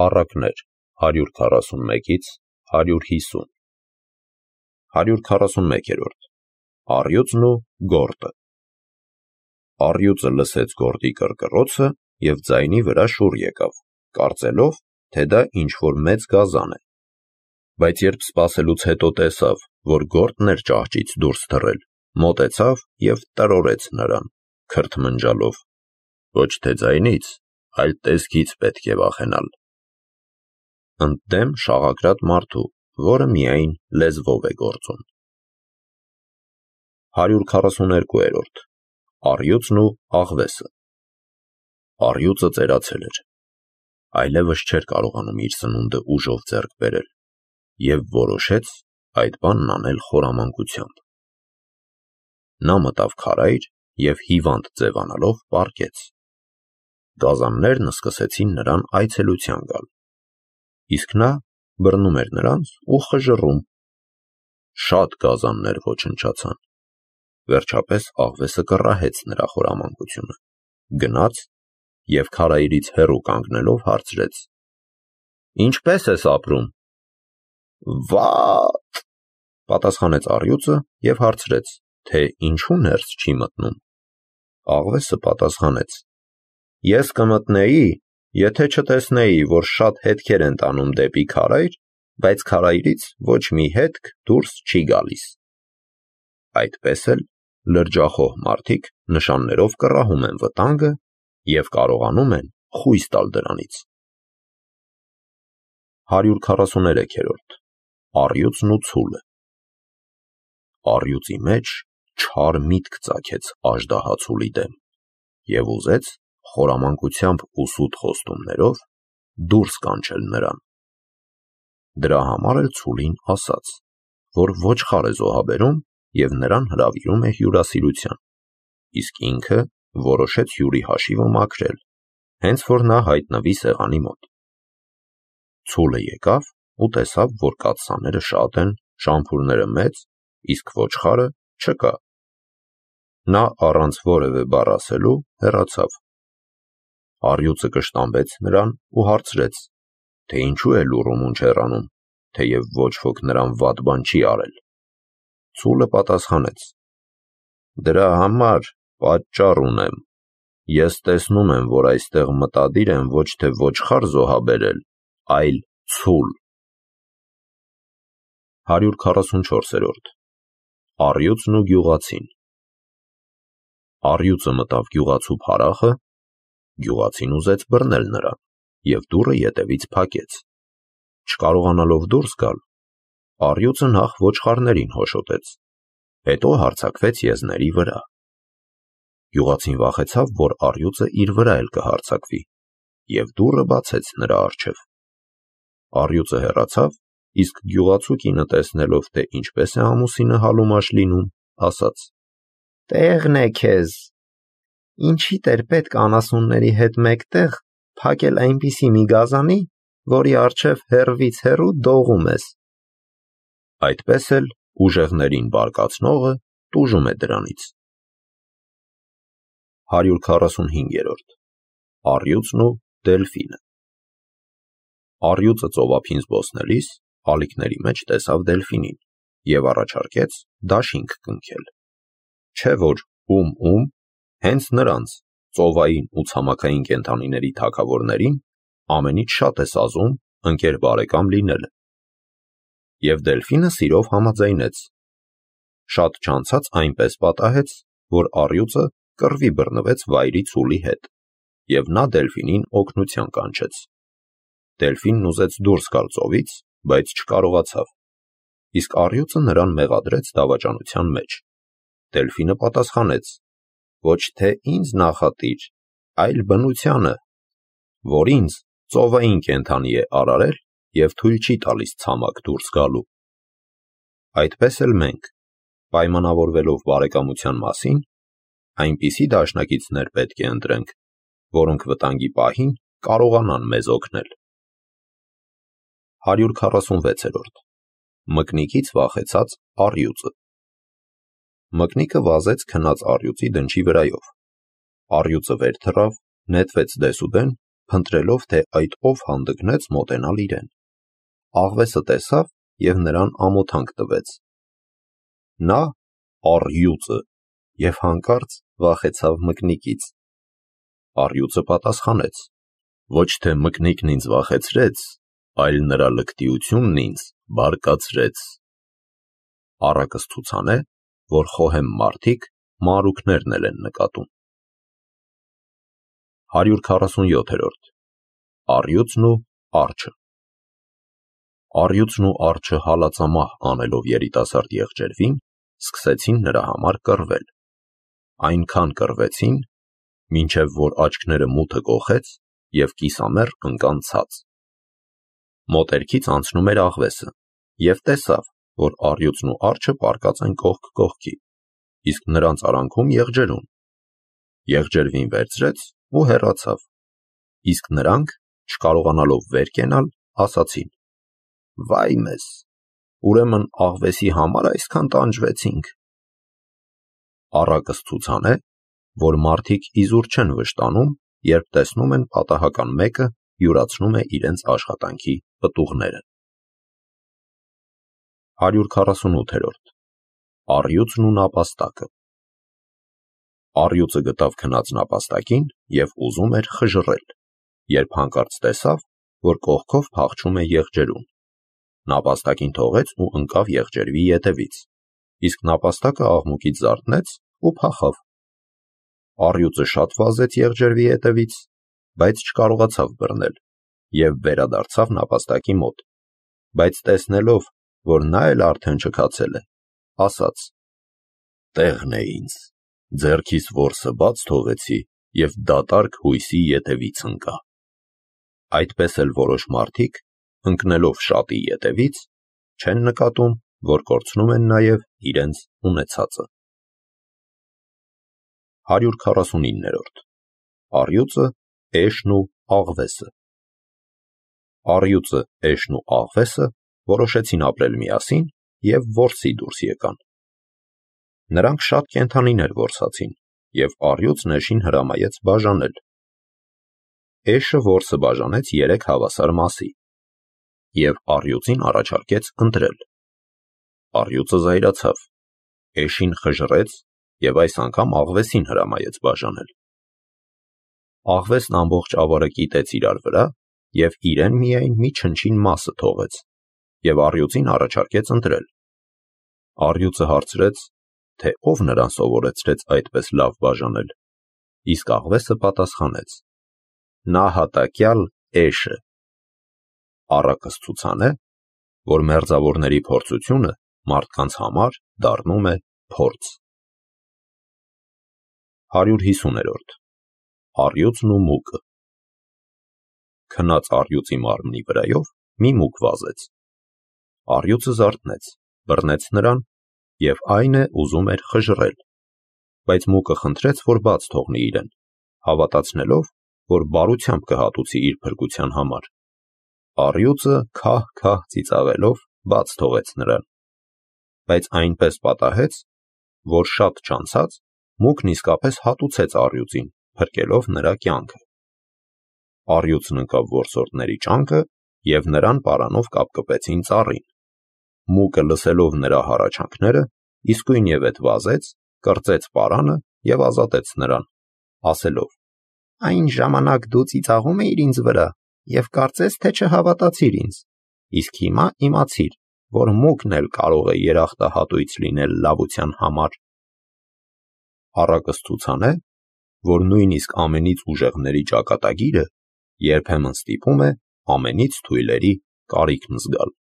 Առակներ 141-ից 150 141-րդ Առյուծն ու գորտը Առյուծը լսեց գորտի կռկռոցը և ձայնի վրա շուռ եկավ, կարծելով, թե դա ինչ-որ մեծ գազան է, բայց երբ սպասելուց հետո տեսավ, որ գորտն էր ճահճից դուրս թռել, մոտեցավ և տրորեց նրան, քրթմնջալով. ոչ թե ձայնից, այլ տեսքից պետք է վախենալ: Ընդդեմ շաղակրատ մարդու, որը միայն լեզվով է գործում: 142-րդ Առյուծն ու աղվեսը Առյուծը ծերացել էր, այլևս չէր կարողանում իր սնունդը ուժով ձեռք բերել և որոշեց այդ բանն անել խորամանկությամբ: Նա մտավ քարայր և հիվանդ ձևանալով պառկեց: Գազաններն սկսեցին նրան այցելության գալ, իսկ նա բռնում էր նրանց ու խժռում: Շատ գազաններ ոչնչացան: Վերջապես աղվեսը կռահեց նրա խորամանկությունը, գնաց և քարայրից հեռու կանգնելով հարցրեց. Ինչպե՞ս ես ապրում: Վա՜տ, պատասխանեց առյուծը և հարցրեց, թե ինչու ներս չի մտնում: Աղվեսը պատասխանեց. Ես կմտնեի, եթե չտեսնեի, որ շատ հետքեր են տանում դեպի քարայր, բայց քարայրից ոչ մի հետք դուրս չի գալիս: Այդպես էլ լրջախոհ մարդիկ նշաններով կռահում են վտանգը և կարողանում են խույս տալ դրանից: 143-րդ Առյուծն ու ցուլը Առյուծի մեջ չար միտք ծագեց աժդահա ցուլի դեմ և ուզեց խորամանկությամբ ու սուտ խոստումներով դուրս կանչել նրան: Դրա համար էլ ցուլին ասաց, որ ոչխար է զոհաբերում և նրան հրավիրում է հյուրասիրության, իսկ ինքը որոշեց հյուրի հաշիվը մաքրել, հենց որ նա հայտնվի սեղանի մոտ: Ցուլը եկավ ու տեսավ, որ կաթսաները շատ են, շամփուրները մեծ, իսկ ոչխարը չկա: Նա առանց որևէ բառ ասելու հեռացավ: Առյուծը կշտամբեց նրան ու հարցրեց, թե ինչու է լուռումունջ հեռանում, թեև ոչ ոք նրան վատ բան չի արել: Ցուլը պատասխանեց. Դրա համար պատճառ ունեմ: Ես տեսնում եմ, որ այստեղ մտադիր են ոչ թե ոչխար զոհաբերել, այլ ցուլ: 144-րդ Առյուծն ու գյուղացին Առյուծը մտավ գյուղացու փարախը, գյուղացին ուզեց բռնել նրան և դուռը ետևից փակեց: Չկարողանալով դուրս գալ, առյուծը նախ ոչխարներին հոշոտեց, հետո հարձակվեց եզների վրա: Գյուղացին վախեցավ, որ առյուծը իր վրա էլ կհարձակվի և դուռը բացեց նրա առջև: Առյուծը հեռացավ, իսկ գյուղացու կինը տեսնելով, թե ինչպես է ամուսինը հալումաշ լինում, ասաց. Տեղն է քեզ, ինչի՞դ էր պետք անասունների հետ մեկտեղ փակել այնպիսի մի գազանի, որի առջև հեռվից հեռու դողում ես: Այդպես էլ ուժեղներին բարկացնողը տուժում է դրանից: 145-րդ Առյուծն ու դելֆինը Առյուծը ծովափին զբոսնելիս ալիքների մեջ տեսավ դելֆինին և առաջարկեց դաշինք կնքել: Չէ որ ում, հենց նրանց, ծովային ու ցամաքային կենդանիների թագավորներին ամենից շատ է սազում ընկեր բարեկամ լինելը: Եվ դելֆինը սիրով համաձայնեց: Շատ չանցած այնպես պատահեց, որ առյուծը կռվի բռնվեց վայրի ցուլի հետ և նա դելֆինին օգնության կանչեց: Դելֆինն ուզեց դուրս գալ ծովից, բայց չկարողացավ, իսկ առյուծը նրան մեղադրեց դավաճանության մեջ: Դելֆինը պատասխանեց. Ոչ թե ինձ նախատիր, այլ բնությանը, որ ինձ ծովային կենդանի է արարել և թույլ չի տալիս ցամաք դուրս գալու: Այդպես էլ մենք, պայմանավորվելով բարեկամության մասին, այնպիսի դաշնակիցներ պետք է ընտրենք, որոնք վտանգի պահին կարողանան մեզ օգնել: 146-րդ Մկնիկից վախեցած առյուծը Մկնիկը վազեց քնած առյուծի դնչի վրայով: Առյուծը վեր թռավ, նետվեց դեսուդեն փնտրելով, թե այդ ով հանդգնեց մոտենալ իրեն։ Աղվեսը տեսավ և նրան ամոթանք տվեց։ Նա առյուծը և հանկարծ վախեցավ մկնիկից։ Առյուծը պատասխանեց. ոչ թե մկնիկն ինձ վախեցրեց, այլ նրա լկտիությունն ինձ բարկացրեց։ Առակը ցուցան է, որ խոհեմ մարդիկ մանրուքներն էլ են նկատում։ 147-րդ Առյուծն ու արջը։ Առյուծն ու արջը հալածամահ անելով երիտասարդ եղջերվին, սկսեցին նրա համար կռվել։ Այնքան կռվեցին, մինչև որ աչքները մութը կոխեց և կիսամեռ ընկան ցած։ Մոտերքից անցնում էր աղվեսը և տեսավ, որ առյուծն ու արջը պառկած են կողք կողքի, իսկ նրանց արանքում եղջերուն։ Եղջերվին վերցրեց ու հեռացավ, իսկ նրանք, չկարողանալով վեր կենալ, ասացին. վայ մեզ, ուրեմն աղվեսի համար այսքան տանջվեցինք։ Առակս ցուցան է, որ մարդիկ իզուր չեն վշտանում, երբ տեսնում են պատահական մեկը յուրացնում է իրենց աշխատանքի պտուղները։ 148-րդ Առյուծն ու նապաստակը։ Առյուծը գտավ քնած նապաստակին և ուզում էր խժռել, երբ հանկարծ տեսավ, որ կողքով փախչում է եղջերուն։ Նապաստակին թողեց ու ընկավ եղջերվի ետևից, իսկ նապաստակը աղմուկից զարթնեց ու փախավ։ Առյուծը շատ վազեց եղջերվի ետևից, բայց չկարողացավ բռնել և վերադարձավ նապաստակի մոտ, բայց տեսնելով, որ նա էլ արդեն չքացել է, ասաց. տեղն է ինձ, ձեռքիս որսը բաց թողեցի և դատարկ հույսի ետևից ընկա։ Այդպես էլ որոշ մարդիկ, ընկնելով շատի ետևից, չեն նկատում, որ կորցնում են նաև իրենց ունեցածը։ 149-րդ Առյուծը, էշն ու աղվեսը։ Առյուծը, էշն ու աղվեսը որոշեցին ապրել միասին և որսի դուրս եկան։ Նրանք շատ կենդանիներ որսացին, և առյուծն էշին հրամայեց բաժանել։ Էշը որսը բաժանեց 3 հավասար մասի և առյուծին առաջարկեց ընտրել։ Առյուծը զայրացավ, էշին խժռեց և այս անգամ աղվեսին հրամայեց բաժանել։ Աղվեսն ամբողջ ավարը կիտեց իրար վրա և իրեն միայն մի չնչին մասը թողեց և առյուծին առաջարկեց ընտրել։ Առյուծը հարցրեց, թե ով նրան սովորեցրեց այդպես լավ բաժանել, իսկ աղվեսը պատասխանեց. նահատակյալ էշը։ Առակս ցուցան է, որ մերձավորների փորձությունը մարդկանց համար դառնում է փորձ։ 150-րդ Առյուծն ու մուկը։ Քնած առյուծի մարմնի վրայով մի մուկ վազեց։ Առյուծը զարթնեց, բռնեց նրան և այն է ուզում էր խժռել, բայց մուկը խնդրեց, որ բաց թողնի իրեն, հավատացնելով, որ բարությամբ կհատուցի իր փրկության համար։ Առյուծը քահ-քահ ծիծաղելով բաց թողեց նրան, բայց այնպես պատահեց, որ շատ չանցած մուկն իսկապես հատուցեց առյուծին, փրկելով նրա կյանքը։ Առյուծն ընկավ որսորդների ճանկը և նրան պարանով կապկպեցին ծառին։ Մուկը լսելով նրա հառաչանքները, իսկույնևեթ վազեց, կրծեց պարանը և ազատեց նրան, ասելով. այն ժամանակ դու ծիծաղում էիր ինձ վրա և կարծես թե չհավատացիր ինձ, իսկ հիմա իմացիր, որ մուկն էլ կարող է երախտահատույց լինել լավության համար։ Առակս ցուցան է, որ նույնիսկ ամենից ուժեղների ճակատագիրը երբեմն ստիպում է ամենից թույլերի կարիքն զգալ։